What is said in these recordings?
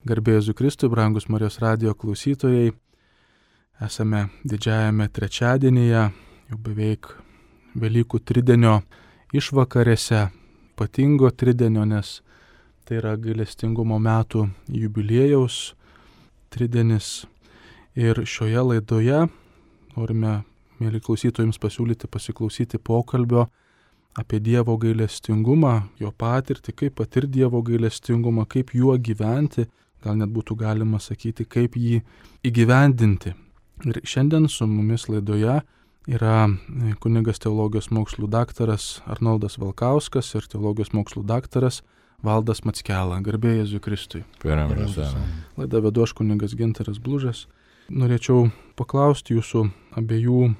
Garbė Jėzui Kristui, brangus Marijos radijo klausytojai, esame didžiajame trečiadienyje, jau beveik Velykų tridienio išvakarėse, ypatingo tridienio, nes tai yra gailestingumo metų jubiliejaus tridienis. Ir šioje laidoje norime, mėly klausytojams, pasiklausyti pokalbio apie Dievo gailestingumą, jo patirtį, kaip patirti Dievo gailestingumą, kaip juo gyventi, gal net būtų galima sakyti, kaip jį įgyvendinti. Ir šiandien su mumis laidoje yra kunigas teologijos mokslų daktaras Arnoldas Valkauskas ir teologijos mokslų daktaras Valdas Mackela. Garbė Jėzui Kristui. Laidą vedu aš, kunigas Gintaras Blužas. Norėčiau paklausti jūsų abiejų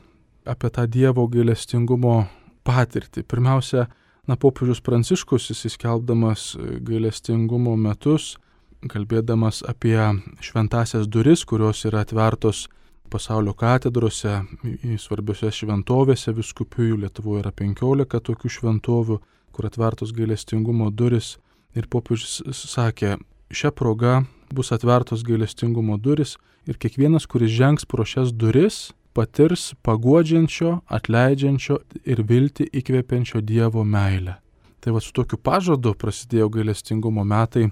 apie tą Dievo gailestingumo patirtį. Pirmiausia, popiežius Pranciškus, įsiskelbdamas gailestingumo metus, kalbėdamas apie šventąsias duris, kurios yra atvertos pasaulio katedrose, į svarbiose šventovėse vyskupijų, Lietuvoje yra 15 tokių šventovių, kur atvertos gailestingumo duris. Ir popiežius sakė, šia proga bus atvertos gailestingumo duris ir kiekvienas, kuris žengs pro šias duris, patirs paguodžiančio, atleidžiančio ir viltį įkvepiančio Dievo meilę. Tai su tokiu pažadu prasidėjo gailestingumo metai.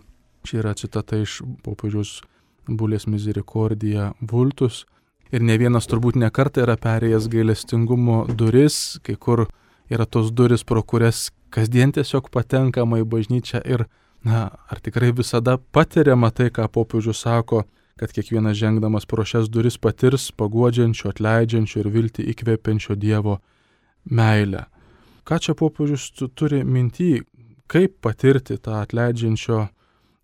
Čia yra citata iš popiežiaus Bulės Misericordija Vultus. Ir ne vienas turbūt ne kartą yra perėjęs gailestingumo duris, kai kur yra tos duris, pro kurias kasdien tiesiog patenkama į bažnyčią ir, ar tikrai visada patiriama tai, ką popiežius sako, kad kiekvienas žengdamas pro šias duris patirs paguodžiančio, atleidžiančio ir viltį įkvepiančio Dievo meilę. Ką čia popiežius turi minty, kaip patirti tą atleidžiančio,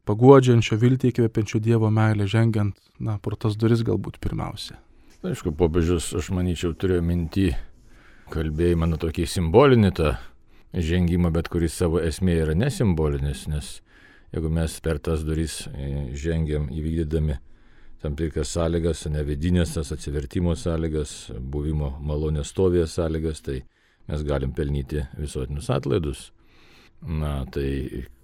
paguodžiančio, viltį įkvepiančio Dievo meilę, žengiant pro tas duris galbūt pirmiausia? Aišku, popiežius, aš manyčiau, turėjo minty kalbėjimą tokį simbolinį tą žengimą, bet kuris savo esmė yra nesimbolinis, nes jeigu mes per tas duris žengiam įvykdydami tam tikras sąlygas, vidinės tas atsivertimo sąlygas, buvimo malonės stovėje sąlygas, tai mes galim pelnyti visuotinius atlaidus. Tai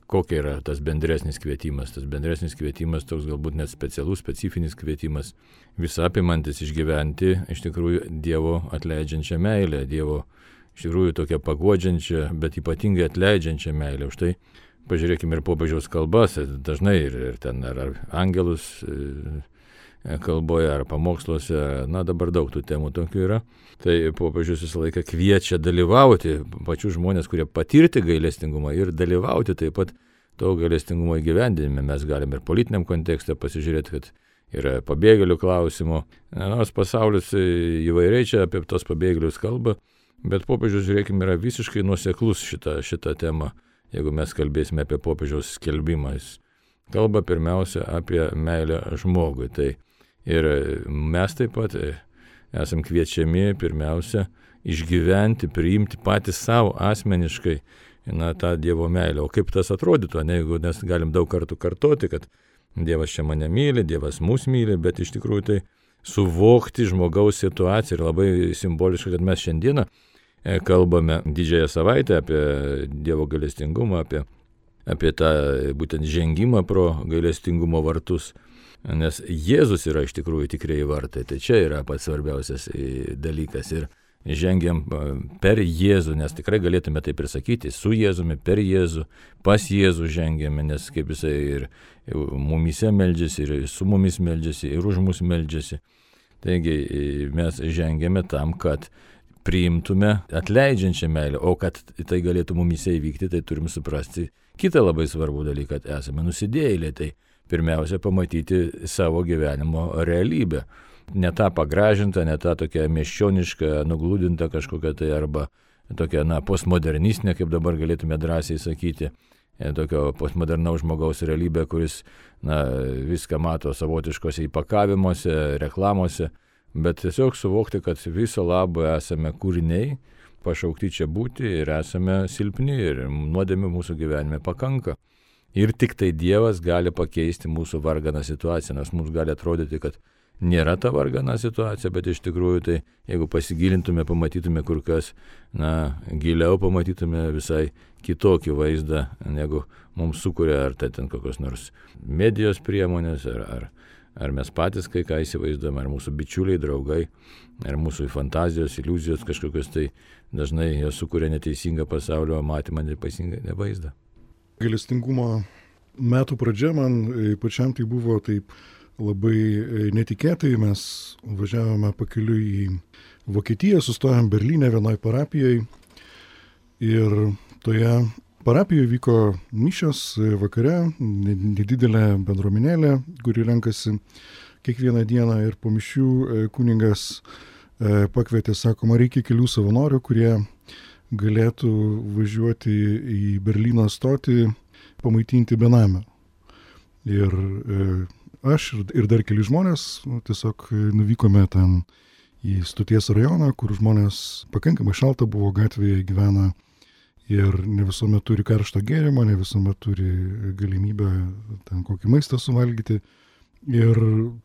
kokia yra tas bendresnis kvietimas? Tas bendresnis kvietimas toks galbūt net specialus, specifinis kvietimas, visapimantis išgyventi iš tikrųjų Dievo atleidžiančią meilę, Dievo iš tikrųjų tokią paguodžiančią, bet ypatingai atleidžiančią meilę. Už tai pažiūrėkime ir popiežiaus kalbas, dažnai ir ten ar angelus kalboje, ar pamoksluose, dabar daug tų temų tokių yra. Tai popiežius visą laiką kviečia dalyvauti pačių žmonės, kurie patirti gailestingumą ir dalyvauti taip pat to gailestingumo įgyvendinime. Mes galime ir politiniam kontekste pasižiūrėti, kad yra pabėgėlių klausimų. Nors pasaulis įvairiai čia apie tos pabėgėlius kalba, bet popiežius, žiūrėkime, yra visiškai nuoseklus šitą temą. Jeigu mes kalbėsime apie popiežiaus skelbimą, jis kalba pirmiausia apie meilę žmogui. Tai ir mes taip pat esam kviečiami pirmiausia išgyventi, priimti patys savo asmeniškai tą Dievo meilę. O kaip tas atrodytų, jeigu mes galim daug kartų kartoti, kad Dievas čia mane myli, Dievas mus myli, bet iš tikrųjų tai suvokti žmogaus situaciją ir labai simboliška, kad mes šiandieną kalbame didžiąją savaitę apie Dievo gailestingumą, apie tą būtent žengimą pro gailestingumo vartus, nes Jėzus yra iš tikrųjų tikrieji vartai, tai čia yra pats svarbiausias dalykas ir žengiam per Jėzų, nes tikrai galėtume taip ir sakyti, su Jėzumi, per Jėzų, pas Jėzų žengiame, nes kaip jisai ir mumyse meldžiasi, ir su mumis meldžiasi, ir už mus meldžiasi. Taigi mes žengiame tam, kad priimtume atleidžiančią meilę, o kad tai galėtų mumyse įvykti, tai turim suprasti kitą labai svarbų dalyką, kad esame nusidėjėliai, tai pirmiausia pamatyti savo gyvenimo realybę. Ne tą pagražintą, ne tą tokią miesčionišką, nuglūdintą kažkokią tai arba tokią postmodernistinę, kaip dabar galėtume drąsiai sakyti, tokio postmodernaus žmogaus realybę, kuris viską mato savotiškose įpakavimuose, reklamose, bet tiesiog suvokti, kad viso labo esame kūriniai, pašaukti čia būti ir esame silpni ir nuodėmių mūsų gyvenime pakanka. Ir tik tai Dievas gali pakeisti mūsų varganą situaciją, nes mums gali atrodyti, kad nėra ta vargana situacija, bet iš tikrųjų tai jeigu pasigilintume, pamatytume kur kas, giliau pamatytume visai kitokį vaizdą, negu mums sukuria ar tai ten kokios nors medijos priemonės, ar mes patys kai ką įsivaizduojame, ar mūsų bičiuliai, draugai, ar mūsų fantazijos, iliuzijos kažkokios, tai dažnai jos sukuria neteisingą pasaulio matymą, neteisingą vaizdą. Gailestingumo metų pradžia man pačiam tai buvo taip labai netikėtai. Mes važiavome pakeliui į Vokietiją, sustojom Berlyne vienoj parapijai ir toje parapijoje vyko mišios vakare, nedidelė bendruomenėlė, kuri renkasi kiekvieną dieną, ir po mišių kunigas pakvietė, sakoma, reikia kelių savanorių, kurie galėtų važiuoti į Berlyno stotį, pamaitinti benamę. Ir aš ir dar keli žmonės tiesiog nuvykome ten į stoties rajoną, kur žmonės pakankamai šalta buvo, gatvėje gyvena ir ne visuomet turi karšto gėrimo, ne visuomet turi galimybę ten kokį maistą suvalgyti. Ir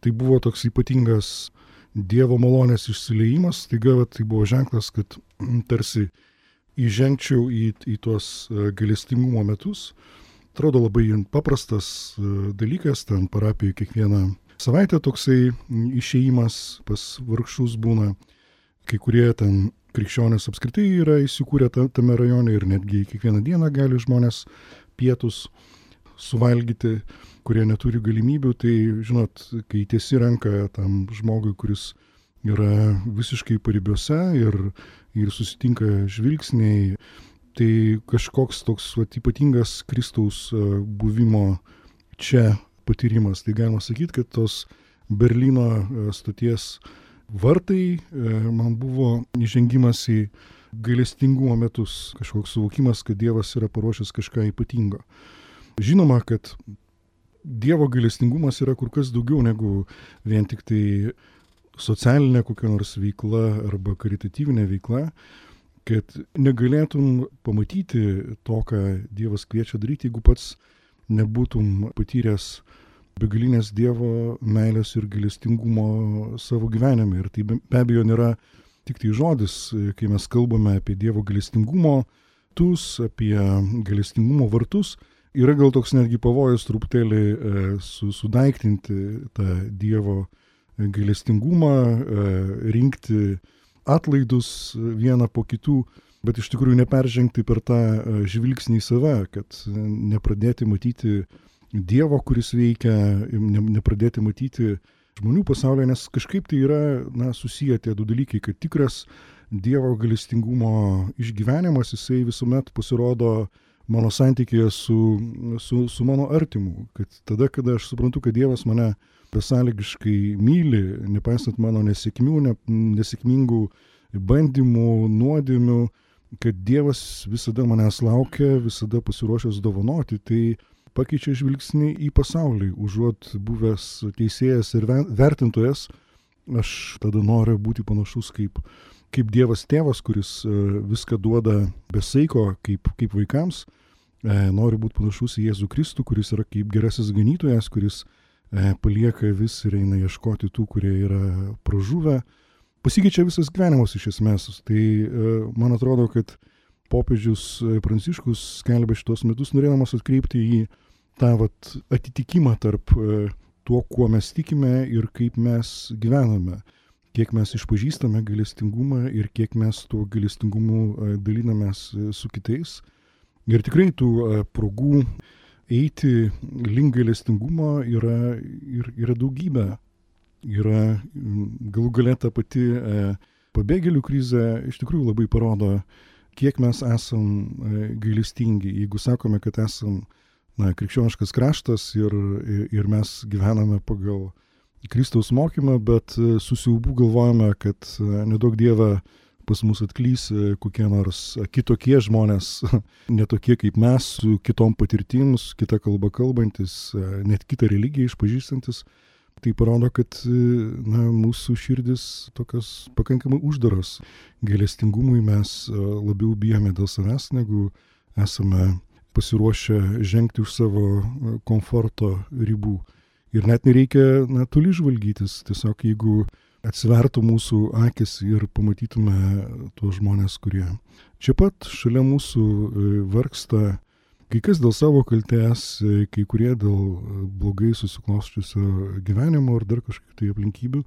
tai buvo toks ypatingas Dievo malonės išsiliejimas. Staiga tai buvo ženklas, kad tarsi įžengčiau į tuos gailestingumo metus. Atrodo labai paprastas dalykas, ten parapijoje kiekvieną savaitę toksai išėjimas pas vargšus būna. Kai kurie ten krikščionys apskritai yra įsikūrę tame rajone ir netgi kiekvieną dieną gali žmonės pietus suvalgyti, kurie neturi galimybių. Tai, žinot, kai tiesi ranką tam žmogui, kuris yra visiškai paribiuose ir susitinka žvilgsniai, tai kažkoks toks ypatingas Kristaus buvimo čia patyrimas. Tai galima sakyti, kad tos Berlyno stoties vartai man buvo įžengimas į gailestingumo metus, kažkoks suvokimas, kad Dievas yra paruošęs kažką ypatingo. Žinoma, kad Dievo gailestingumas yra kur kas daugiau negu vien tik tai socialinė kokia nors veikla arba karitatyvinė veikla, kad negalėtum pamatyti to, ką Dievas kviečia daryti, jeigu pats nebūtum patyręs begalinės Dievo meilės ir gailestingumo savo gyvenime. Ir tai be abejo nėra tik tai žodis, kai mes kalbame apie Dievo gailestingumo tus, apie gailestingumo vartus. Yra gal toks netgi pavojus truputėlį sudaiktinti tą Dievo gailestingumą, rinkti atlaidus vieną po kitų, bet iš tikrųjų neperžengti per tą žvilgsnį į save, kad nepradėti matyti Dievo, kuris veikia, nepradėti matyti žmonių pasaulyje, nes kažkaip tai yra susiję tie du dalykai, kad tikras Dievo gailestingumo išgyvenimas, jisai visuomet pasirodo mano santykėje su mano artimu, kad tada, kada aš suprantu, kad Dievas mane besąlygiškai myli, nepaisant mano nesėkmingų bandymų, nuodėmių, kad Dievas visada manęs laukia, visada pasiruošęs dovanoti, tai pakeičia žvilgsnį į pasaulį. Užuot buvęs teisėjas ir vertintojas, aš tada noriu būti panašus kaip Dievas tėvas, kuris viską duoda be saiko kaip vaikams. Noriu būti panašus į Jėzų Kristų, kuris yra kaip gerasis ganytojas, kuris palieka vis ir eina ieškoti tų, kurie yra pražuvę. Pasikeičia visas gyvenimas iš esmės. Tai man atrodo, kad popiežius Pranciškus skelbia šitos metus, norėdamas atkreipti į tą atitikimą tarp tuo, kuo mes tikime ir kaip mes gyvename. Kiek mes išpažįstame gailestingumą ir kiek mes tuo gailestingumu dalinamės su kitais. Ir tikrai tų progų eiti link gailestingumo yra daugybė. Yra galų gale ta pati pabėgėlių krizė iš tikrųjų labai parodo, kiek mes esam gailestingi. Jeigu sakome, kad esam krikščioniškas kraštas ir mes gyvename pagal Kristaus mokymą, bet su siaubu galvojame, kad nedaug Dieve pas mus atklys kokie nors kitokie žmonės, netokie kaip mes, su kitom patirtim, su kita kalba kalbantis, net kitą religiją išpažįstantis. Tai parodo, kad mūsų širdis tokios pakankamai uždaros. Gailestingumui mes labiau bijome dėl savęs, negu esame pasiruošę žengti už savo komforto ribų. Ir net nereikia toli žvalgytis, tiesiog jeigu atsivertų mūsų akis ir pamatytume tuos žmonės, kurie čia pat šalia mūsų vargsta, kai kas dėl savo kaltės, kai kurie dėl blogai susiklosčiusio gyvenimo ar dar kažkokių tai aplinkybių,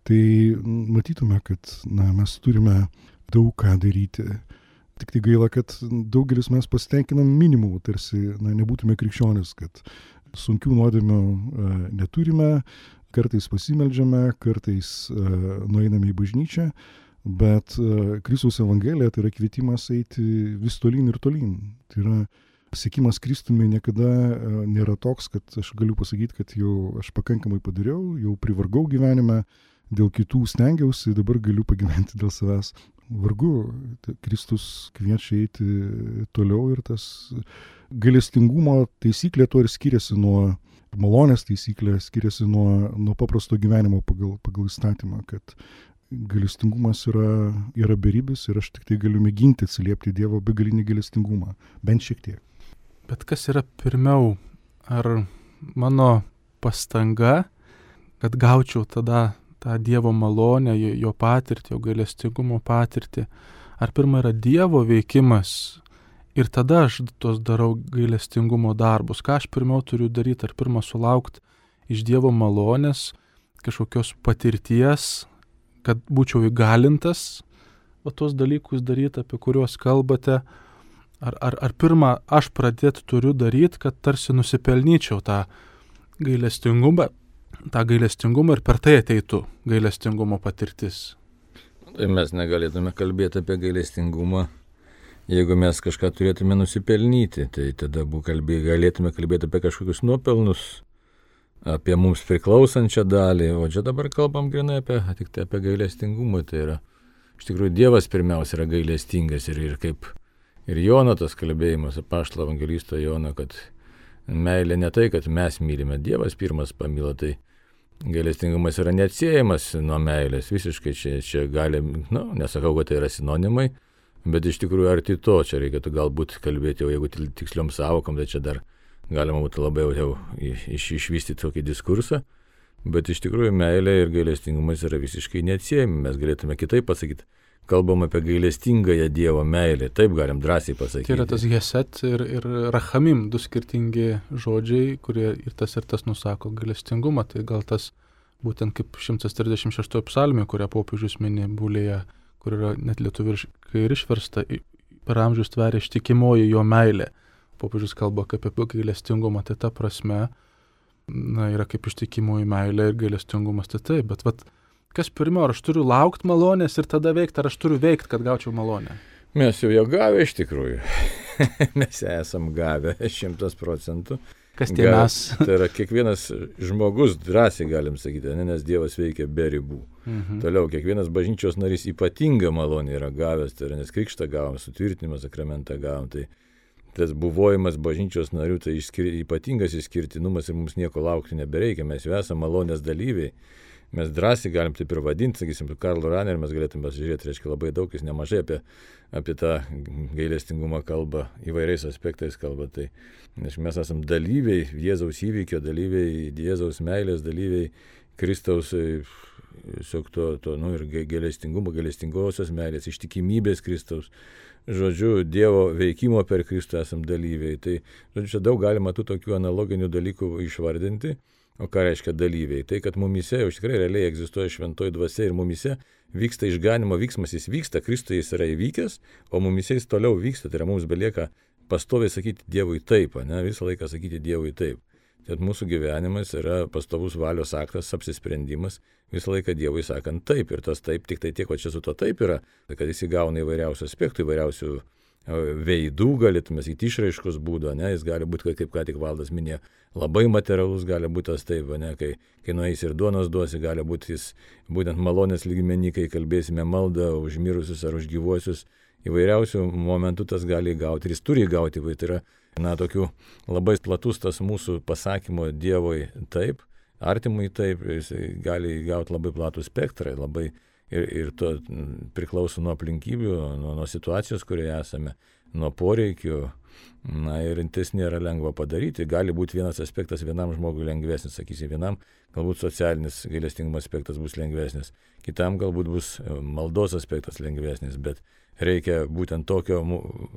tai matytume, kad mes turime daug ką daryti. Tik tai gaila, kad daugelis mes pasitenkinam minimumu, tarsi nebūtume krikščionis, kad sunkių nuodėmių neturime, kartais pasimeldžiame, kartais nueiname į bažnyčią, bet Kristaus Evangelija tai yra kvietimas eiti vis tolyn ir tolyn. Tai yra siekimas Kristumi niekada nėra toks, kad aš galiu pasakyti, kad jau aš pakankamai padariau, jau privargau gyvenime, dėl kitų stengiausi, dabar galiu pagyventi dėl savęs. Vargu, Kristus kviečia eiti toliau ir tas gailestingumo taisyklė to ir skiriasi nuo malonės taisyklė, skiriasi nuo paprasto gyvenimo pagal įstatymą, kad gailestingumas yra beribis ir aš tik tai galiu mėginti atsiliepti Dievo begalinį gailestingumą, bent šiek tiek. Bet kas yra pirmiau, ar mano pastanga, kad gaučiau tada tą Dievo malonę, jo patirtį, jo gailestingumo patirtį, ar pirma yra Dievo veikimas ir tada aš tos darau gailestingumo darbus, ką aš pirmiau turiu daryti, ar pirma sulaukti iš Dievo malonės, kažkokios patirties, kad būčiau įgalintas tos dalykus daryti, apie kuriuos kalbate, ar pirma aš pradėti turiu daryti, kad tarsi nusipelnyčiau tą gailestingumą ir per tai ateitų gailestingumo patirtis. Tai mes negalėtume kalbėti apie gailestingumą, jeigu mes kažką turėtume nusipelnyti, tai tada galėtume kalbėti apie kažkokius nuopelnus, apie mums priklausančią dalį, o čia dabar kalbam grinai tik apie gailestingumą. Tai yra, iš tikrųjų, Dievas pirmiausia yra gailestingas ir kaip ir Jono tas kalbėjimas, apaštalo evangelisto Jono, kad meilė ne tai, kad mes mylime, Dievas pirmas pamilo, tai gailestingumas yra neatsiejamas nuo meilės, visiškai čia gali, nesakau, kad tai yra sinonimai, bet iš tikrųjų arti to, čia reikėtų galbūt kalbėti, jau jeigu tiksliom savokom, tai čia dar galima būtų labai jau išvystyti tokį diskursą, bet iš tikrųjų meilė ir gailestingumas yra visiškai neatsiejami, mes galėtume kitaip pasakyti. Kalbam apie gailestingąją Dievo meilę, taip galim drąsiai pasakyti. Tai yra tas Geset ir Rachamim, du skirtingi žodžiai, kurie ir tas nusako gailestingumą, tai gal tas būtent kaip 136 psalmė, kurią popiežius mini Bulėje, kur yra net lietuviškai ir išversta, per amžius tveria ištikimoji jo meilė. Popiežius kalba apie gailestingumą, tai ta prasme, yra kaip ištikimoji meilė ir gailestingumas, tai taip, bet kas pirmiau, ar aš turiu laukti malonės ir tada veikti, ar aš turiu veikti, kad gaučiau malonę? Mes jau gavę iš tikrųjų. Mes esam gavę 100%. Kas tie mes? Tai yra kiekvienas žmogus, drąsiai galim sakyti, nes Dievas veikia be ribų. Toliau, kiekvienas bažnyčios narys ypatingą malonę yra gavęs, tai yra nes krikštą gavom, sutvirtinimą sakramentą gavom, tai tas buvojimas bažnyčios narių, tai ypatingas išskirtinumas ir mums nieko laukti nebereikia, mes jau esame malonės dalyviai. Mes drąsiai galim taip ir vadinti, sakysim, Karlo Raner, mes galėtume pasižiūrėti, reiškia labai daug, jis nemažai apie tą gailestingumą kalba, įvairiais aspektais kalba. Tai, nes mes esame dalyviai, Jėzaus įvykio dalyviai, Jėzaus meilės dalyviai, Kristaus ir gailestingumo, gailestingosios meilės, ištikimybės Kristaus. Žodžiu, Dievo veikimo per Kristų esame dalyviai. Tai, žodžiu, čia daug galima tų tokių analoginių dalykų išvardinti. O ką reiškia dalyviai? Tai, kad mumise jau tikrai realiai egzistuoja šventoji dvasia ir mumise vyksta išganimo vyksmas, jis vyksta, Kristuje jis yra įvykęs, o mumise jis toliau vyksta, tai yra mums belieka pastoviai sakyti Dievui taip, visą laiką sakyti Dievui taip. Tad mūsų gyvenimas yra pastovus valios aktas, apsisprendimas, visą laiką Dievui sakant taip, ir tas taip, tik tai tiek, o čia su to taip yra, kad jis įgauna įvairiausių aspektų, įvairiausių veidų, galėtume sakyti, išraiškos būdo, jis gali būti, kaip ką tik Valdas minėjo, labai materialus gali būti tas taip, kai nueis ir duonos duosi, gali būti jis būtent malonės lygmenį, kai kalbėsime maldą už mirusius ar už gyvuosius, įvairiausių momentų tas gali įgauti ir jis turi įgauti, tai yra, tokių labai platus tas mūsų pasakymo Dievui taip, artimui taip, jis gali įgauti labai platų spektrą, labai ir to priklauso nuo aplinkybių, nuo situacijos, kurioje esame, nuo poreikių, Na ir tas nėra lengva padaryti. Gali būti vienas aspektas vienam žmogui lengvesnis, sakysim, vienam galbūt socialinis gailestingumo aspektas bus lengvesnis, kitam galbūt bus maldos aspektas lengvesnis, bet reikia būtent tokio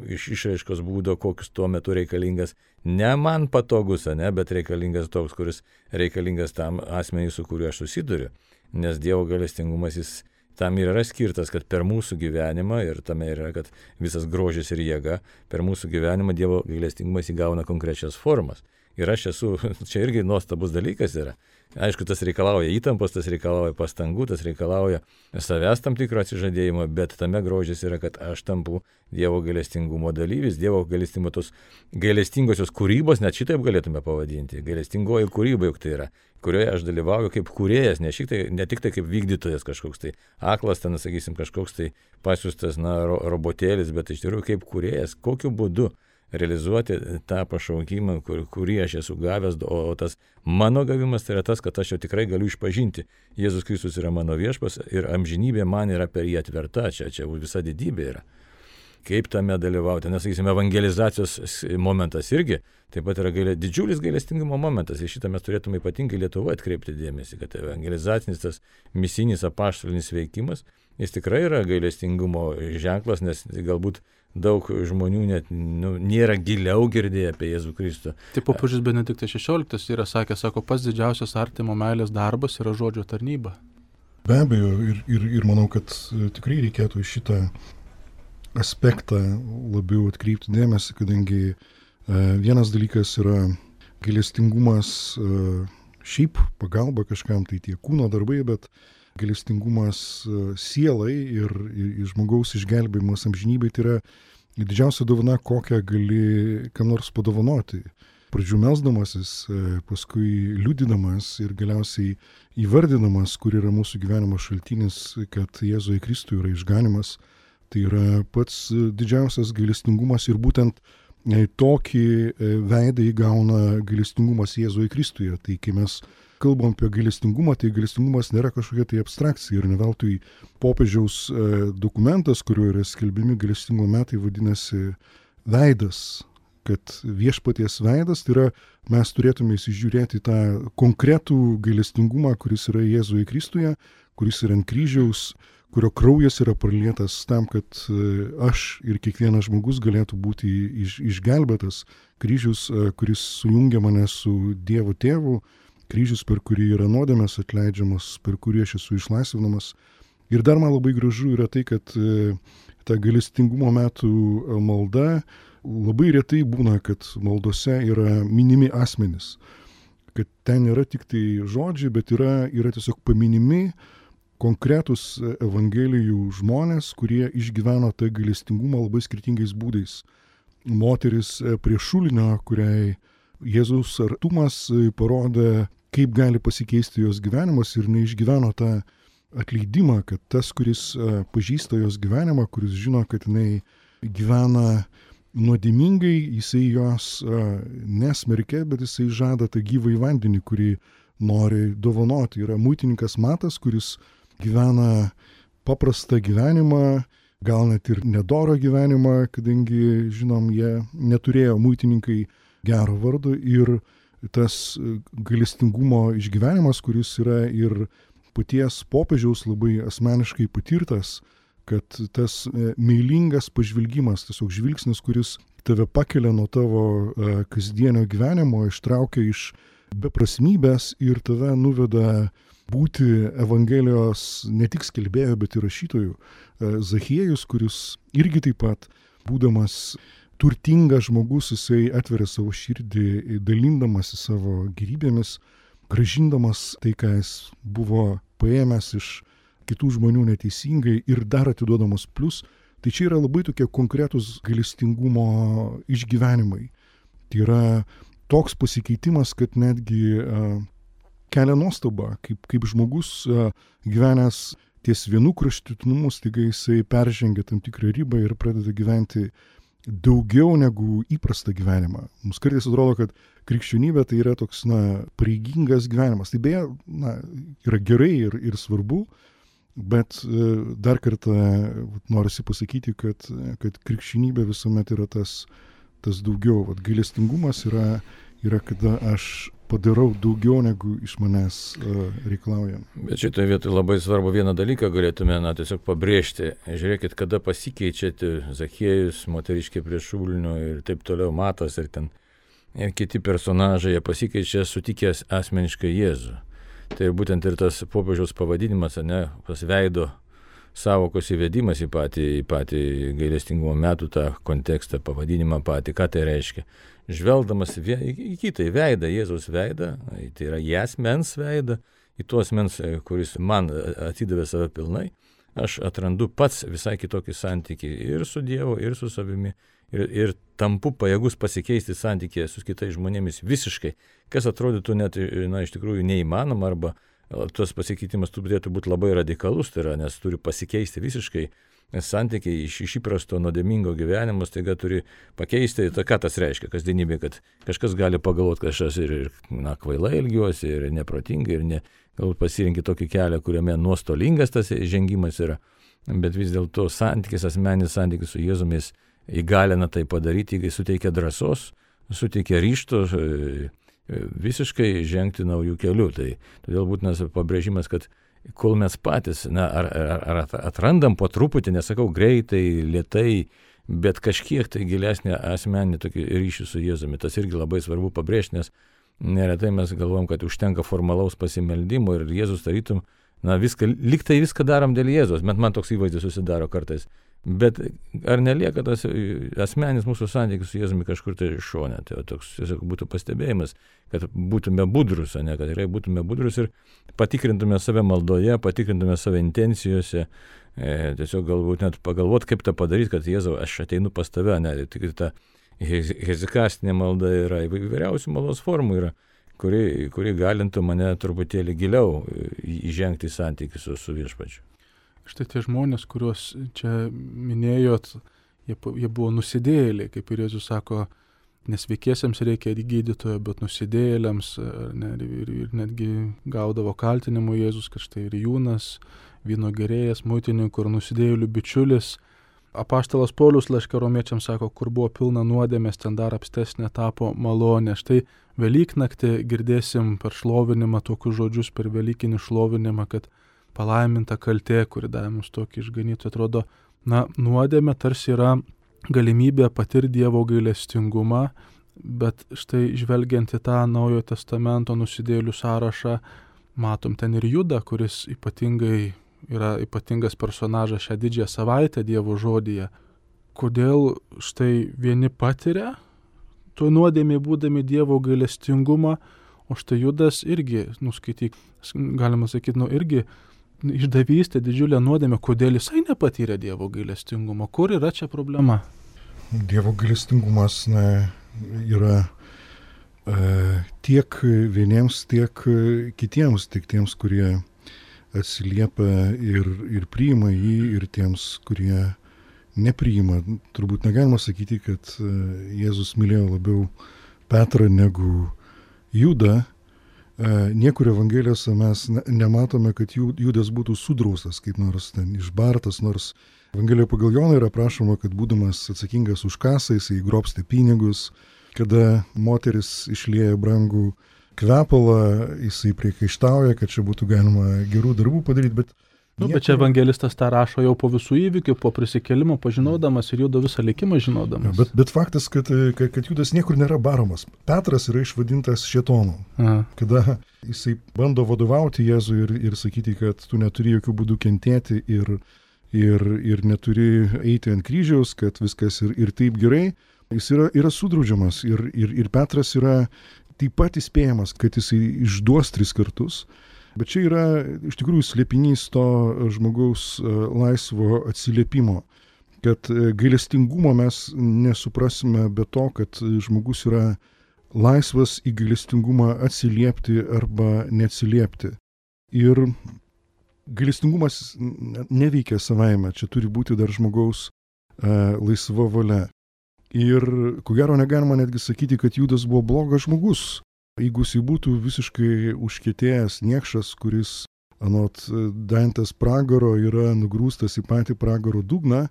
išraiškos būdo, koks tuo metu reikalingas, ne man patogus, bet reikalingas toks, kuris reikalingas tam asmeniui, su kuriuo aš susiduriu. Nes Dievo gailestingumas jis tam ir yra skirtas, kad per mūsų gyvenimą, ir tame yra, kad visas grožis ir jėga, per mūsų gyvenimą Dievo gailestingumas įgauna konkrečias formas. Ir aš esu, čia irgi nuostabus dalykas yra. Aišku, tas reikalauja įtampos, tas reikalauja pastangų, tas reikalauja savęs tam tikro atsižadėjimo, bet tame grožis yra, kad aš tampu Dievo gailestingumo dalyvis, Dievo gailestingumo tos gailestingosios kūrybos, net šitaip galėtume pavadinti, gailestingoji kūryba juk tai yra, kurioje aš dalyvauju kaip kūrėjas, ne tik tai kaip vykdytojas kažkoks tai aklas, ten, sakysim, kažkoks tai pasiūstas, robotėlis, bet iš tikrųjų kaip kūrėjas, kokiu būdu realizuoti tą pašaukimą, kurį aš esu gavęs, o tas mano gavimas tai yra tas, kad aš jau tikrai galiu išpažinti. Jėzus Kristus yra mano viešpas ir amžinybė man yra per jį atverta, čia visa didybė yra. Kaip tame dalyvauti, nes, sakysime, evangelizacijos momentas irgi taip pat yra didžiulis gailestingumo momentas. Ir šitą mes turėtume ypatingai Lietuvoje atkreipti dėmesį, kad evangelizacinis tas misinis apaštalinis veikimas, jis tikrai yra gailestingumo ženklas, nes galbūt daug žmonių net nėra giliau girdėję apie Jėzų Kristų. Taip popiežius Benediktas XVI yra sakęs, pats didžiausias artimo meilės darbas yra žodžio tarnyba. Be abejo, ir manau, kad tikrai reikėtų šitą aspektą labiau atkreipti dėmesį, kadangi vienas dalykas yra gailestingumas šiaip pagalba kažkam, tai tie kūno darbai, bet gailestingumas sielai ir žmogaus išgelbėjimas amžinybei tai yra didžiausia dovana, kokią gali kam nors padovanoti. Pradžių melsdamasis, paskui liudydamas ir galiausiai įvardinamas, kur yra mūsų gyvenimo šaltinis, kad Jėzuje Kristuje yra išganimas. Tai yra pats didžiausias gailestingumas ir būtent tokį veidą įgauna gailestingumas Jėzuje Kristuje. Tai kai mes kalbam apie gailestingumą, tai gailestingumas nėra kažkokia tai abstrakcija ir ne veltui popiežiaus dokumentas, kuriuo yra skelbiami gailestingumo metai, vadinasi veidas, kad viešpaties veidas, tai yra mes turėtume įsižiūrėti tą konkretų gailestingumą, kuris yra Jėzuje Kristuje, kuris yra ant kryžiaus, kurio kraujas yra pralietas tam, kad aš ir kiekvienas žmogus galėtų būti išgelbėtas. Kryžius, kuris sujungia mane su Dievo Tėvu, kryžius, per kurį yra nuodėmės atleidžiamas, per kurį aš esu išlaisvinamas. Ir dar man labai gražu yra tai, kad ta gailestingumo metų malda labai retai būna, kad maldose yra minimi asmenys. Kad ten nėra tik tai žodžiai, bet yra tiesiog paminimi konkretus evangelijų žmonės, kurie išgyveno tą gailestingumą labai skirtingais būdais. Moteris prie šulinio, kuriai Jėzaus artumas parodė, kaip gali pasikeisti jos gyvenimas ir neišgyveno tą atleidimą, kad tas, kuris pažįsta jos gyvenimą, kuris žino, kad jinai gyvena nuodėmingai, jisai jos nesmerkia, bet jisai žada tą gyvąjį vandenį, kurį nori dovanoti. Yra muitininkas Matas, kuris gyvena paprastą gyvenimą, gal net ir nedorą gyvenimą, kadangi, žinom, jie neturėjo muitininkai gero vardo ir tas gailestingumo išgyvenimas, kuris yra ir paties popiežiaus labai asmeniškai patirtas, kad tas meilingas pažvilgimas, tiesiog žvilgsnis, kuris tave pakelia nuo tavo kasdienio gyvenimo, ištraukia iš beprasmybės ir tave nuveda būti Evangelijos ne tik skelbėjo, bet ir rašytojų. Zachiejus, kuris irgi taip pat, būdamas turtingas žmogus, jisai atveria savo širdį, dalindamas į savo gyvybėmis, grąžindamas tai, ką jis buvo paėmęs iš kitų žmonių neteisingai ir dar atiduodamas plus. Tai čia yra labai tokie konkretūs gailestingumo išgyvenimai. Tai yra toks pasikeitimas, kad netgi kelia nuostabą, kaip žmogus gyvenęs ties vienu kraštutinumu, staiga jisai peržengia tam tikrą ribą ir pradeda gyventi daugiau negu įprastą gyvenimą. Mums kartais atrodo, kad krikščionybė tai yra toks, pareigingas gyvenimas. Tai beje, yra gerai ir svarbu, bet dar kartą norisi pasakyti, kad krikščionybė visuomet yra tas tas daugiau. Vat gailestingumas yra kada aš padarau daugiau, negu iš manęs reikalauja. Bet šitoje vietoje labai svarbu vieną dalyką galėtume tiesiog pabrėžti. Žiūrėkit, kada pasikeičiate Zachiejus, moteriškė prie šulinio ir taip toliau, Matas ir kiti personažai, jie pasikeičia sutikęs asmeniškai Jėzų. Tai būtent ir tas popiežiaus pavadinimas, tas veido savokos įvedimas į patį gailestingumo metų tą kontekstą, pavadinimą patį, ką tai reiškia. Žvelgdamas į kitą, į veidą, Jėzaus veidą, tai yra į asmens veidą, į tuos asmens, kuris man atidavė save pilnai, aš atrandu pats visai kitokį santykį ir su Dievu, ir su savimi, ir tampu pajėgus pasikeisti santykį su kitais žmonėmis visiškai, kas atrodytų net, iš tikrųjų neįmanoma, arba tas pasikeitimas turėtų būti labai radikalus, tai yra, nes turi pasikeisti visiškai santykiai iš įprasto nuodėmingo gyvenimo, staiga turi pakeisti, ką tas reiškia kasdienybė, kad kažkas gali pagalvoti, kad aš ir kvailai elgiuosi, ir neprotingai, ir galbūt pasirinkti tokį kelią, kuriame nuostolingas tas žengimas yra, bet vis dėlto asmeninis santykis su Jėzumis įgalina tai padaryti, suteikia drąsos, suteikia ryžto visiškai žengti naujų kelių. Tai todėl būtinas pabrėžimas, kad kol mes patys, ar atrandam po truputį, nesakau greitai, lėtai, bet kažkiek tai gilesnį asmeninį tokį ryšį su Jėzumi. Tas irgi labai svarbu pabrėžti, nes neretai mes galvom, kad užtenka formalaus pasimeldimo ir Jėzus tarytum, liktai viską darom dėl Jėzus, bet man toks įvaizdis susidaro kartais. Bet ar nelieka tas asmeninis mūsų santykis su Jėzumi kažkur tai šone? Tai toks tiesiog būtų pastebėjimas, kad būtume budrus, kad tikrai būtume budrus ir patikrintume save maldoje, patikrintume save intencijose, tiesiog galbūt net pagalvoti, kaip tą padaryti, kad Jėzau, aš ateinu pas tave, tik ta hezikastinė malda yra, įvairiausių maldos formų yra, kuri galintų mane truputėlį giliau įžengti į santykį su viešpačiu. Štai tie žmonės, kuriuos čia minėjot, jie buvo nusidėjėliai, kaip ir Jėzus sako, nesveikiesiems reikia gydytojo, bet nusidėjėliams ir netgi gaudavo kaltinimų Jėzus, kad štai ir Jūnas, vyno gerėjas, muitininkų ir nusidėjėlių bičiulis. Apaštalas Paulius laiške Romiečiams sako, kur buvo pilna nuodėmės, ten dar apstesnė tapo malonė. Štai Velyknaktį girdėsim per šlovinimą tokius žodžius, per Velykinį šlovinimą, kad palaiminta kaltė, kuri davė mums tokį išganytoją. Atrodo, nuodėmė tarsi yra galimybė patirti Dievo gailestingumą, bet štai žvelgiant į tą Naujojo Testamento nusidėjėlių sąrašą, matom ten ir Judą, kuris yra ypatingas personažas šią didžiąją savaitę Dievo žodyje. Kodėl štai vieni patiria tuo nuodėmė būdami Dievo gailestingumą, o štai Judas irgi, skaityk, galima sakyti, irgi išdavystė didžiulę nuodėmę, kodėl jisai nepatyrė Dievo gailestingumo. Kur yra čia problema? Dievo gailestingumas yra tiek vieniems, tiek kitiems, tiek tiems, kurie atsiliepia ir priima jį, ir tiems, kurie nepriima. Turbūt negalima sakyti, kad Jėzus mylėjo labiau Petrą negu Judą. Niekur Evangelijose mes nematome, kad Judas būtų sudraustas, kaip nors ten išbartas, nors Evangelijoje pagal Joną yra prašoma, kad būdamas atsakingas už kasą, jisai grobstė pinigus, kada moteris išlieja brangų kvepalą, jisai priekaištauja, kad čia būtų galima gerų darbų padaryti, bet bet čia evangelistas tą rašo jau po visų įvykių, po prisikėlimo, pažinodamas ir Judo visą likimą žinodamas. Bet faktas, kad Judas niekur nėra baromas. Petras yra išvadintas šėtonu. Kada jisai bando vadovauti Jėzui ir sakyti, kad tu neturi jokių būdų kentėti ir neturi eiti ant kryžiaus, kad viskas ir taip gerai, jis yra sudraudžiamas. Ir Petras yra taip pat įspėjamas, kad jisai išduos 3 kartus. Bet čia yra iš tikrųjų slėpinys to žmogaus laisvo atsiliepimo, kad gailestingumo mes nesuprasime be to, kad žmogus yra laisvas į gailestingumą atsiliepti arba neatsiliepti. Ir gailestingumas neveikia savaime, čia turi būti dar žmogaus laisva valia. Ir ko gero negalima netgi sakyti, kad Judas buvo blogas žmogus. Jeigu jis būtų visiškai užkietėjęs niekšas, kuris anot Dantės pragaro yra nugrūstas į patį pragaro dugną,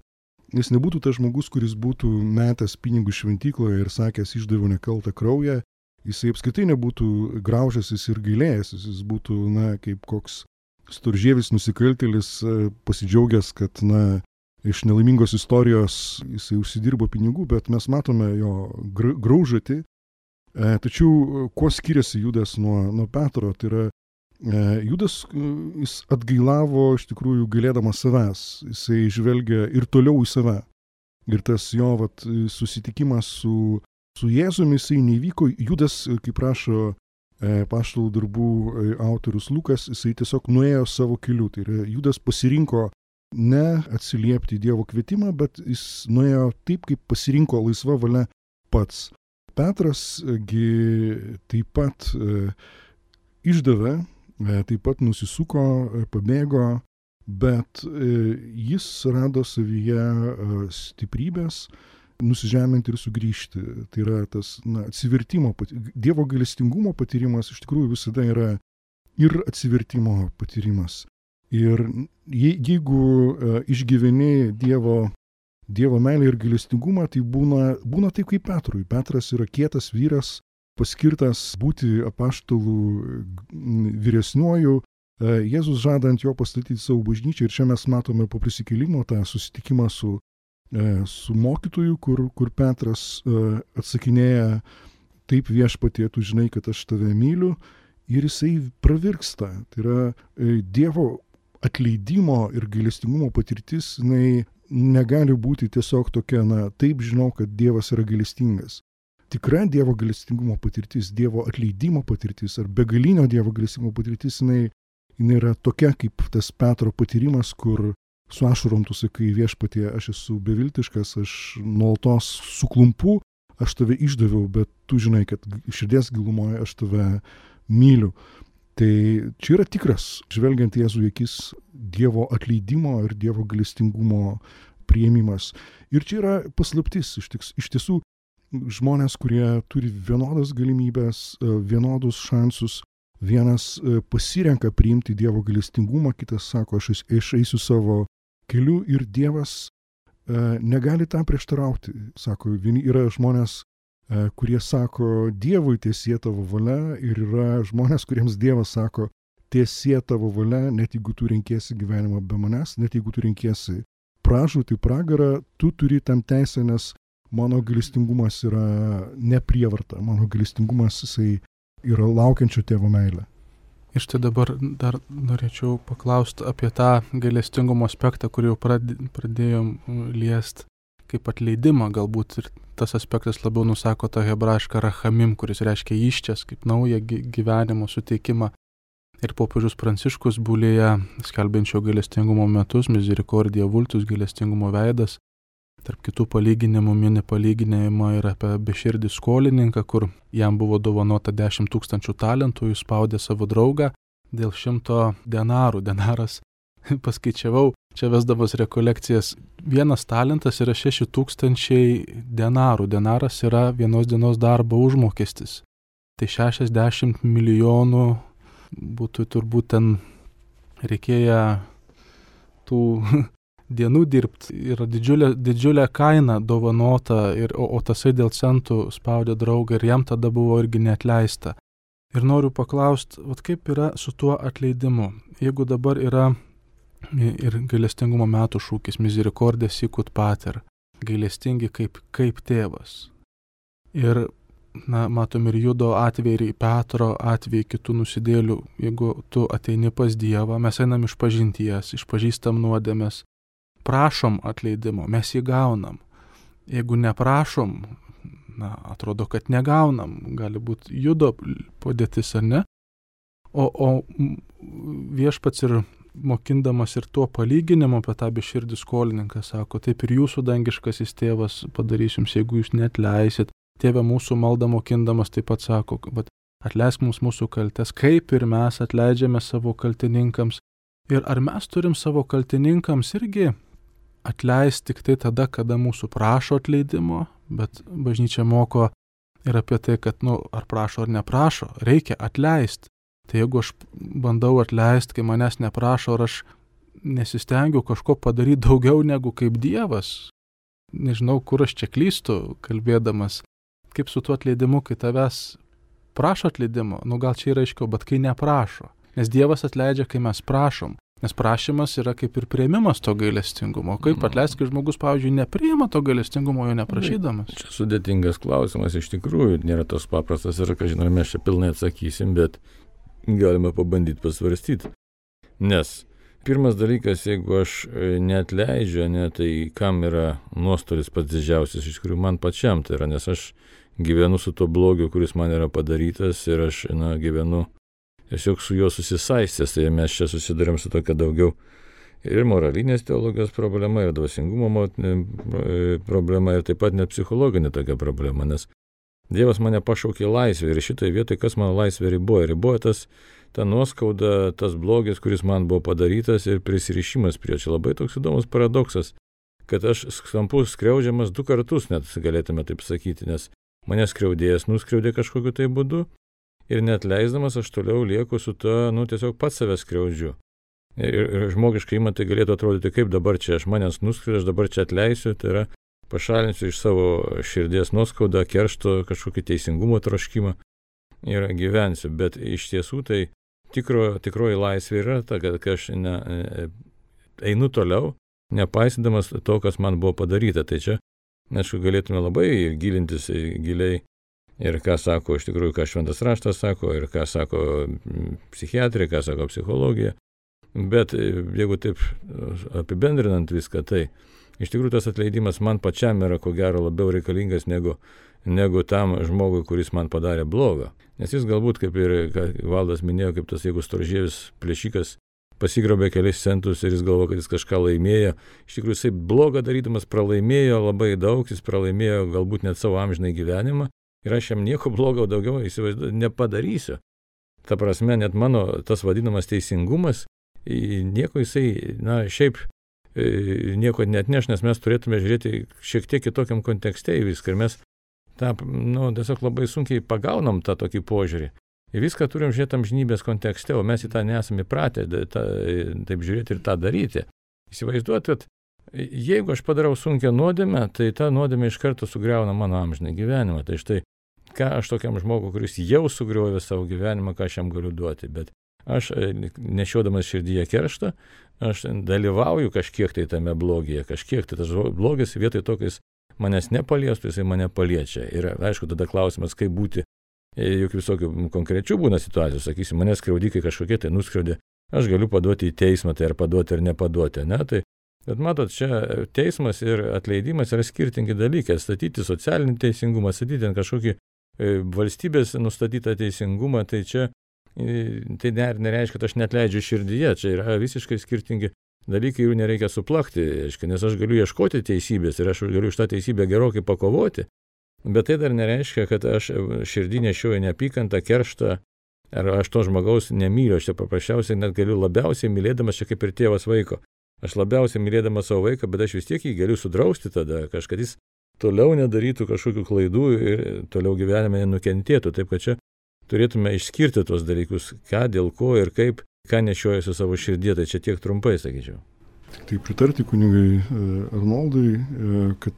jis nebūtų tas žmogus, kuris būtų metęs pinigų šventykloje ir sakęs išdaviau nekaltą kraują, jisai apskritai nebūtų graužęsis ir gailėjęsis, jis būtų, kaip koks storžievis nusikaltėlis pasidžiaugęs, kad, iš nelaimingos istorijos jisai užsidirbo pinigų, bet mes matome jo graužatį. Tačiau kuo skiriasi Judas nuo Petro, tai yra Judas, jis atgailavo iš tikrųjų gailėdamas savęs, jisai žvelgia ir toliau į save. Ir tas jo susitikimas su Jėzumi, jisai nevyko, Judas, kaip rašo apaštalų darbų autorius Lukas, jisai tiesiog nuėjo savo keliu. Tai yra, Judas pasirinko ne atsiliepti Dievo kvietimą, bet jis nuėjo taip, kaip pasirinko laisva valia pats. Petras taip pat išdavė, taip pat nusisuko, pabėgo, bet jis rado savyje stiprybės nusižeminti ir sugrįžti. Tai yra tas atsivertimo, Dievo gailestingumo patyrimas iš tikrųjų visada yra ir atsivertimo patyrimas. Ir jeigu išgyveni Dievo meilę ir gailestingumą, tai būna taip kaip Petrui. Petras yra kietas vyras, paskirtas būti apaštalų vyresniuoju. Jėzus žada ant jo pastatyti savo bažnyčią ir čia mes matome po prisikėlimo tą susitikimą su mokytoju, kur Petras atsakinėja, taip viešpatie, tu žinai, kad aš tave myliu, ir jisai pravirksta. Tai yra Dievo atleidimo ir gailestingumo patirtis, jinai negali būti tiesiog tokia, taip žinau, kad Dievas yra gailestingas. Tikra Dievo gailestingumo patirtis, Dievo atleidimo patirtis ar begalinio Dievo gailestingumo patirtis, jinai yra tokia kaip tas Petro patyrimas, kur su ašarom tu sakai, viešpatie, aš esu beviltiškas, aš nuolatos suklumpu, aš tave išdaviau, bet tu žinai, kad širdies gilumoje aš tave myliu. Tai čia yra tikras, žvelgiant Jėzų akis, Dievo atleidimo ir Dievo gailestingumo priėmimas. Ir čia yra paslaptis, iš tiesų žmonės, kurie turi vienodas galimybės, vienodus šansus, vienas pasirenka priimti Dievo gailestingumą, kitas sako, aš eisiu savo keliu ir Dievas negali tam prieštarauti. Sako, yra žmonės, kurie sako, Dievui tiesie tavo valia, ir yra žmonės, kuriems Dievas sako, tiesie tavo valia, net jeigu tu renkiesi gyvenimą be manęs, net jeigu tu renkiesi pražūtį, pragarą, tu turi tam teisę, nes mano gailestingumas yra ne prievarta, mano gailestingumas jisai yra laukiančio tėvo meilė. Ir štai dabar dar norėčiau paklausti apie tą gailestingumo aspektą, kurį jau pradėjom liest kaip atleidimą, galbūt ir tas aspektas labiau nusako tą hebrajišką rachamim, kuris reiškia iščias, kaip naują gyvenimo suteikimą. Ir popiežius Pranciškus Bulėje, skelbiančio gailestingumo metus, Misericordia Vultus, gailestingumo veidas, tarp kitų palyginimų mini palyginimą ir apie beširdį skolininką, kur jam buvo dovanota 10 000 talentų, jis spaudė savo draugą dėl 100 denarų. Denaras, paskaičiavau, čia vesdavos rekolekcijas, 1 talentas yra 6000 denarų. Denaras yra vienos dienos darbo užmokestis. Tai 60 milijonų būtų turbūt ten reikėję tų dienų dirbti. Yra didžiulė kaina dovanota, o tasai dėl centų spaudė draugą ir jam tada buvo irgi neatleista. Ir noriu paklausti, kaip yra su tuo atleidimu? Jeigu dabar yra ir gailestingumo metų šūkis Misericordia sicut pater, gailestingi kaip tėvas. Ir matom ir Judo atvejį, ir Petro atvejį, kitų nusidėlių. Jeigu tu ateini pas Dievą, mes einam iš pažinties, išpažįstam nuodėmes, prašom atleidimo, mes jį gaunam. Jeigu neprašom, atrodo, kad negaunam, gali būti Judo padėtis ar ne. O viešpats ir mokindamas ir tuo palyginimu apie tą beširdį skolininką sako, taip ir jūsų dangiškasis tėvas padarys jums, jeigu jūs neatleisit. Tėve mūsų maldą mokindamas taip pat sako, bet atleisk mums mūsų kaltes, kaip ir mes atleidžiame savo kaltininkams. Ir ar mes turim savo kaltininkams irgi atleisti tik tai tada, kada mūsų prašo atleidimo, bet bažnyčia moko ir apie tai, kad, ar prašo ar neprašo, reikia atleisti. Tai jeigu aš bandau atleisti, kai manęs neprašo, ar aš nesistengiu kažko padaryti daugiau negu kaip Dievas, nežinau, kur aš čia klystu, kalbėdamas, kaip su tuo atleidimu, kai tavęs prašo atleidimo, gal čia yra aiškiau, bet kai neprašo. Nes Dievas atleidžia, kai mes prašom. Nes prašymas yra kaip ir priėmimas to gailestingumo. Kaip atleisti, kai žmogus, pavyzdžiui, nepriima to gailestingumo, jo neprašydamas? Čia sudėtingas klausimas, iš tikrųjų, nėra tos paprastas ir, ką žinome, mes čia pilnai atsakysim, bet galime pabandyti pasvarstyti. Nes pirmas dalykas, jeigu aš neatleidžiu, tai kam yra nuostolis pats didžiausias, iš tikrųjų man pačiam tai yra, nes aš gyvenu su tuo blogiu, kuris man yra padarytas ir aš gyvenu tiesiog su juo susisaistęs, tai mes čia susidurėm su tokia daugiau ir moralinės teologijos problema, ir dvasingumo problema, ir taip pat net psichologinė tokia problema, nes Dievas mane pašaukė laisvę ir šitoje vietoje kas mano laisvę riboja? Riboja ta nuoskauda, tas blogis, kuris man buvo padarytas ir prisirišimas prie. Čia labai toks įdomus paradoksas, kad aš tampu skriaudžiamas 2 kartus, net galėtume taip sakyti, nes mane skriaudėjas nuskriaudė kažkokiu tai būdu ir net leisdamas aš toliau lieku su to, tiesiog pats save skriaudžiu. Ir žmogiškai tai galėtų atrodyti, kaip dabar čia aš manęs nuskriaudžiu, aš dabar čia atleisiu, tai yra pašalinsiu iš savo širdies nuoskaudą, keršto, kažkokį teisingumo troškimą ir gyvensiu. Bet iš tiesų tai tikroji laisvė yra ta, kad aš einu toliau, nepaisydamas to, kas man buvo padaryta. Tai čia, aišku, galėtume labai gilintis giliai ir ką sako, iš tikrųjų, ką šventas raštas sako, ir ką sako psichiatrija, ką sako psichologija. Bet jeigu taip apibendrinant viską, tai iš tikrųjų tas atleidimas man pačiam yra ko gero labiau reikalingas negu tam žmogui, kuris man padarė blogą. Nes jis galbūt, kaip ir Valdas minėjo, kaip tas, jeigu storžievis plėšikas pasigrobė kelis centus ir jis galvo, kad jis kažką laimėjo. Iš tikrųjų, jisai blogą darydamas pralaimėjo labai daug, jis pralaimėjo galbūt net savo amžinai gyvenimą ir aš jam nieko blogo daugiau nepadarysiu. Ta prasme, net mano tas vadinamas teisingumas, nieko jisai, šiaip nieko neatneš, nes mes turėtume žiūrėti šiek tiek kitokiam kontekste į viską ir mes tiesiog labai sunkiai pagaunam tą tokį požiūrį. Į viską turim žiūrėti amžinybės kontekste, o mes į tą nesame įpratę taip žiūrėti ir tą daryti. Įsivaizduoti, kad jeigu aš padarau sunkią nuodėmę, tai ta nuodėmė iš karto sugriauna mano amžinai gyvenimą. Tai štai, ką aš tokiam žmogui, kuris jau sugriovė savo gyvenimą, ką aš jam galiu duoti. Bet aš nešiodamas širdyje kerštą, aš dalyvauju kažkiek tai tame blogyje, kažkiek tai tas blogis vietoj to, kai jis manęs nepaliestų, jisai mane paliečia. Ir aišku, tada klausimas, kaip būti, juk visokių konkrečių būna situacijų, sakysim, manęs skriaudikai kažkokie tai nuskriaudė, aš galiu paduoti į teismą, tai ar paduoti ar nepaduoti, bet matot, čia teismas ir atleidimas yra skirtingi dalykai, statyti socialinį teisingumą, statyti ant kažkokį valstybės nustatytą teisingumą, tai čia tai nereiškia, kad aš neatleidžiu širdyje, čia yra visiškai skirtingi dalykai, jų nereikia suplakti, nes aš galiu ieškoti teisybės ir aš galiu iš tą teisybę gerokai pakovoti, bet tai dar nereiškia, kad aš širdį nešioju neapykantą, kerštą, ar aš to žmogaus nemyliu, aš čia paprasčiausiai net galiu labiausiai mylėdamas, čia kaip ir tėvas vaiko, aš labiausiai mylėdamas savo vaiką, bet aš vis tiek jį galiu sudrausti tada, kažkad jis toliau nedarytų kažkokių klaidų ir toliau gyvenime nenukentėtų, taip kad čia turėtume išskirti tuos dalykus, ką, dėl ko ir kaip, ką nešiojasi savo širdį, tai čia tiek trumpai, sakyčiau. Tai pritarti kunigai Arnoldui, kad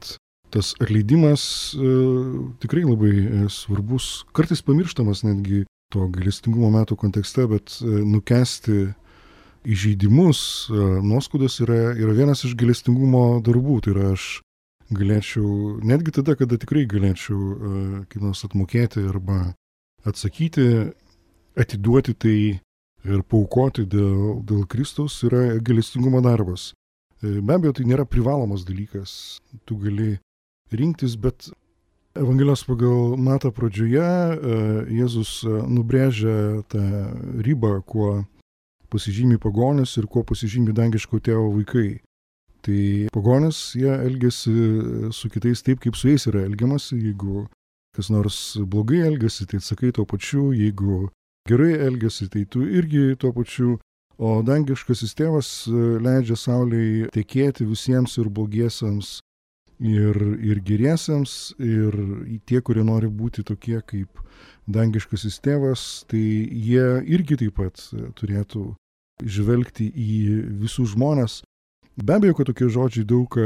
tas atleidimas tikrai labai svarbus, kartais pamirštamas netgi to gailestingumo metų kontekste, bet nukęsti įžeidimus, nuoskaudas yra vienas iš gailestingumo darbų, tai yra aš galėčiau, netgi tada, kada tikrai galėčiau kaip nors atmokėti arba atsakyti, atiduoti tai ir paaukoti dėl Kristaus yra gailestingumo darbas. Be abejo, tai nėra privalomas dalykas, tu gali rinktis, bet Evangelijos pagal Matą pradžioje Jėzus nubrėžia tą ribą, kuo pasižymi pagonis ir kuo pasižymi dangiško tėvo vaikai. Tai pagonis, jie elgiasi su kitais taip, kaip su jais yra elgiamasi, jeigu kas nors blogai elgiasi, tai atsakai tuo pačiu, jeigu gerai elgiasi, tai tu irgi tuo pačiu, o dangiškasis tėvas leidžia saulei tekėti visiems ir blogiesiems, ir geriesiems, ir tie, kurie nori būti tokie kaip dangiškasis tėvas, tai jie irgi taip pat turėtų žvelgti į visus žmonės Be abejo, kad tokie žodžiai daug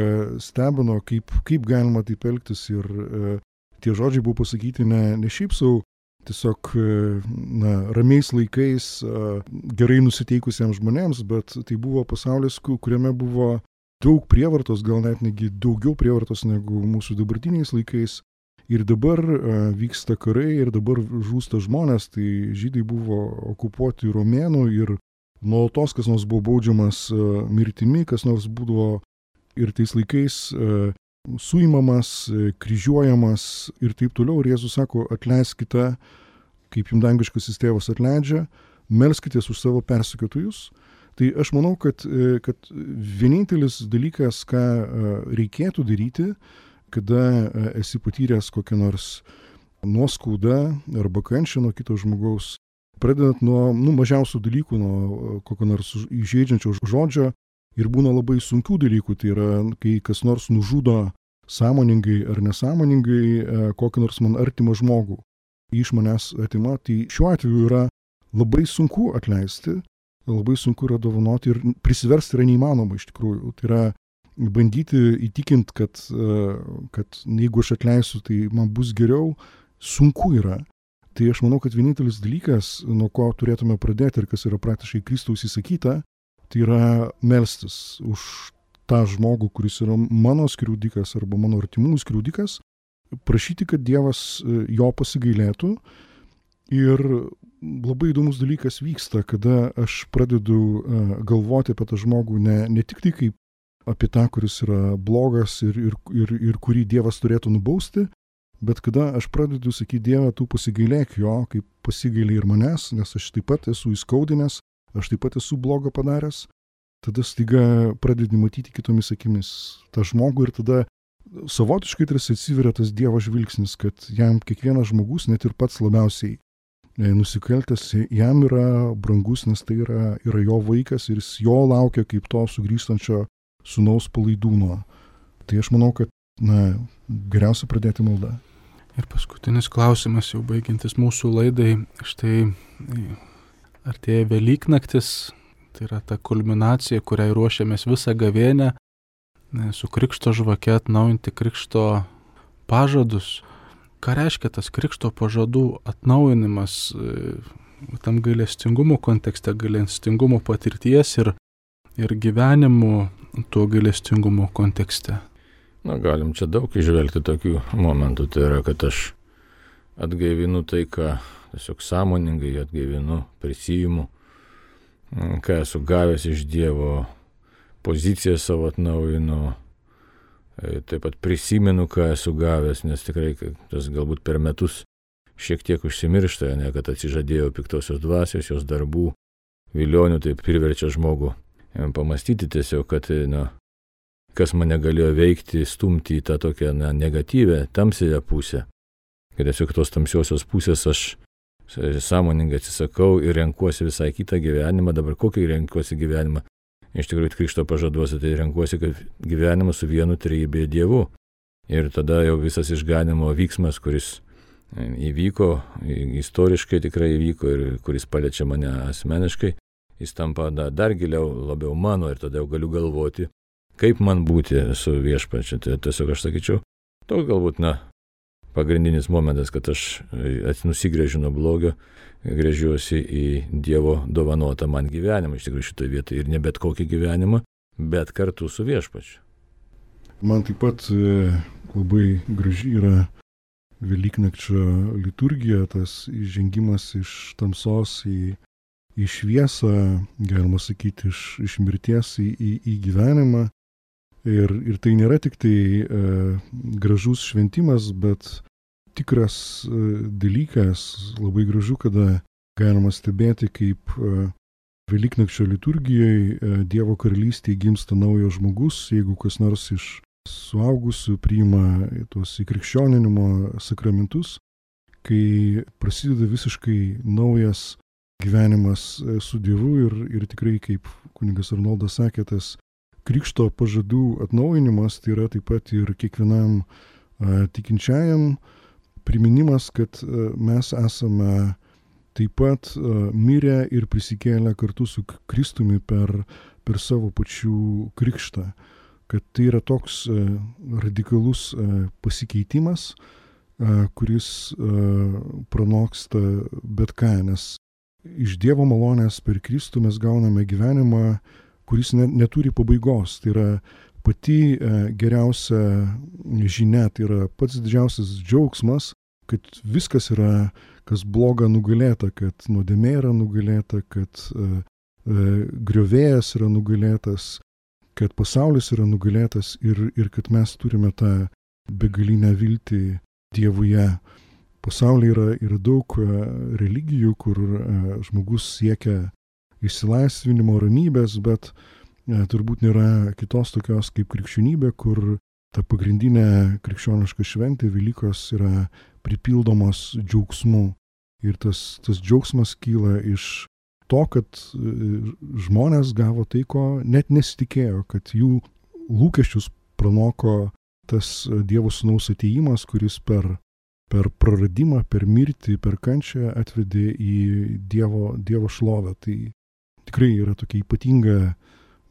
stebino, kaip galima taip elgtis ir tie žodžiai buvo pasakyti ne šiaip sau, tiesiog ramiais laikais gerai nusiteikusiems žmonėms, bet tai buvo pasaulis, kuriame buvo daug prievartos, gal net negi daugiau prievartos negu mūsų dabartiniais laikais. Ir dabar vyksta karai ir dabar žūsta žmonės, tai žydai buvo okupuoti romėnų ir nuolatos kas nors buvo baudžiamas mirtimi, kas nors būdavo ir tais laikais suimamas, kryžiuojamas ir taip toliau. Ir Jėzus sako, atleiskite, kaip jums dangiškasis tėvas atleidžia, melskitės už savo persekiotojus. Tai aš manau, kad vienintelis dalykas, ką reikėtų daryti, kada esi patyręs kokią nors nuoskaudą arba kančią nuo kito žmogaus, pradedant nuo mažiausių dalykų, nuo kokio nors įžeidžiančio žodžio ir būna labai sunkių dalykų, tai yra, kai kas nors nužudo sąmoningai ar nesąmoningai kokį nors man artimą žmogų, iš manęs atima, tai šiuo atveju yra labai sunku atleisti, labai sunku yra dovanoti ir prisiversti yra neįmanoma iš tikrųjų. Tai yra bandyti įtikinti, kad jeigu aš atleisiu, tai man bus geriau, sunku yra. Tai aš manau, kad vienintelis dalykas, nuo ko turėtume pradėti ir kas yra praktiškai Kristaus įsakyta, tai yra melstis už tą žmogų, kuris yra mano skriaudikas arba mano artimųjų skriaudikas, prašyti, kad Dievas jo pasigailėtų. Ir labai įdomus dalykas vyksta, kada aš pradedu galvoti apie tą žmogų ne tik tai kaip apie tą, kuris yra blogas ir kurį Dievas turėtų nubausti, bet kada aš pradedu sakyti, Dieve, tu pasigailėk jo, kaip pasigailė ir manęs, nes aš taip pat esu įskaudinęs, aš taip pat esu blogą padaręs, tada staiga pradedi matyti kitomis akimis tą žmogų ir tada savotiškai tarsi atsiveria tas Dievo žvilgsnis, kad jam kiekvienas žmogus, net ir pats labiausiai nusikaltęs, jam yra brangus, nes tai yra jo vaikas ir jis jo laukia kaip to sugrįžtančio sūnaus palaidūno. Tai aš manau, kad geriausia pradėti maldą. Ir paskutinis klausimas, jau baigiantis mūsų laidai, štai artėja Velyknaktis, tai yra ta kulminacija, kuriai ruošiamės visą gavėnią, su krikšto žvake atnaujinti krikšto pažadus. Ką reiškia tas krikšto pažadų atnaujinimas tam gailestingumo kontekste, gailestingumo patirties ir gyvenimo tuo gailestingumo kontekste? Galim čia daug išvelgti tokių momentų. Tai yra, kad aš atgaivinu tai, ką tiesiog sąmoningai atgaivinu, prisiimu, ką esu gavęs iš Dievo, poziciją savo atnaujinu, taip pat prisimenu, ką esu gavęs, nes tikrai tas galbūt per metus šiek tiek užsimiršta, kad atsižadėjau piktosios dvasios, jos darbų, vilionių, tai priverčia žmogų pamastyti tiesiog, kad kas mane galėjo veikti, stumti į tą tokią negatyvę, tamsiąją pusę. Kad tiesiog tos tamsiosios pusės aš sąmoningai atsisakau ir renkuosi visai kitą gyvenimą. Dabar kokį renkuosi gyvenimą? Iš tikrųjų, krikšto pažaduose tai renkuosi, kad gyvenimą su vienu trejybėje Dievu. Ir tada jau visas išganimo vyksmas, kuris įvyko, istoriškai tikrai įvyko ir kuris paliečia mane asmeniškai, jis tampa dar giliau, labiau mano ir tada jau galiu galvoti, kaip man būti su viešpačiu. Tai tiesiog aš sakyčiau, toks galbūt, pagrindinis momentas, kad aš nusigręžiu nuo blogio, gręžiuosi į Dievo dovanotą man gyvenimą, iš tikrųjų šitoje vietoje, ir ne bet kokį gyvenimą, bet kartu su viešpačiu. Man taip pat labai graži yra Velyknakčio liturgija, tas įžengimas iš tamsos į šviesą, galima sakyti, iš mirties į gyvenimą. Ir tai nėra tik tai gražus šventimas, bet tikras dalykas, labai gražu, kada galima stebėti, kaip Velyknakčio liturgijoje Dievo karalystėje gimsta naujas žmogus, jeigu kas nors iš suaugusių priima tuos įkrikščioninimo sakramentus, kai prasideda visiškai naujas gyvenimas su Dievu ir tikrai, kaip kunigas Arnoldas sakė, tas krikšto pažadų atnaujinimas, tai yra taip pat ir kiekvienam tikinčiajam priminimas, kad mes esame taip pat mirę ir prisikėlę kartu su Kristumi per per savo pačių krikštą, kad tai yra toks radikalus pasikeitimas, kuris pranoksta bet ką, nes iš Dievo malonės per Kristų mes gauname gyvenimą, kuris neturi pabaigos. Tai yra pati geriausia žinia, tai yra pats didžiausias džiaugsmas, kad viskas yra, kas bloga, nugalėta, kad nuodėmė yra nugalėta, kad griovėjas yra nugalėtas, kad pasaulis yra nugalėtas ir kad mes turime tą begalinę viltį Dievuje. Pasaulyje yra daug religijų, kur žmogus siekia išsilaisvinimo, ramybės, bet turbūt nėra kitos tokios kaip krikščionybė, kur ta pagrindinė krikščioniška šventė Velykos yra pripildomos džiaugsmu. Ir tas džiaugsmas kyla iš to, kad žmonės gavo tai, ko net nesitikėjo, kad jų lūkesčius pranoko tas Dievo Sūnaus atėjimas, kuris per praradimą, per mirtį, per kančią atvedė į Dievo šlovę. Tai tikrai yra tokia ypatinga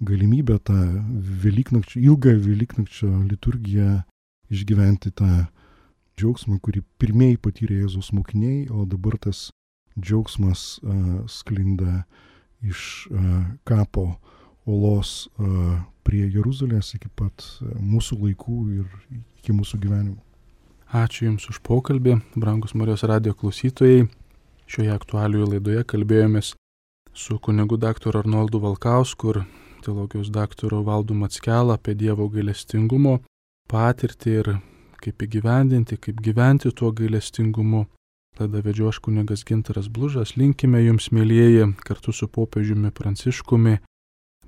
galimybė tą ilgą Velyknakčio liturgiją išgyventi tą džiaugsmą, kurį pirmieji patyrė Jėzaus mokiniai, o dabar tas džiaugsmas sklinda iš kapo olos prie Jeruzalės iki pat mūsų laikų ir iki mūsų gyvenimo. Ačiū Jums už pokalbį, brangus Marijos radijo klausytojai. Šioje aktualijų laidoje kalbėjomės su kunigu daktaru Arnoldu Valkausku ir teologijos daktaru Valdu Mackelą apie Dievo gailestingumo patirtį ir kaip įgyvendinti, kaip gyventi tuo gailestingumu. Laidą vedžiau aš kunigas Gintaras Blužas. Linkime Jums, mielieji, kartu su popiežiumi Pranciškumi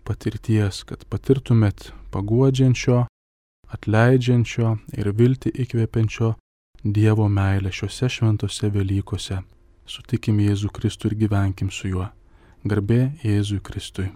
patirties, kad patirtumėt paguodžiančio, atleidžiančio ir viltį įkvepiančio Dievo meilę šiuose šventose Velykose. Sutikim Jėzų Kristų ir gyvenkim su juo. Garbė Jėzui Kristui.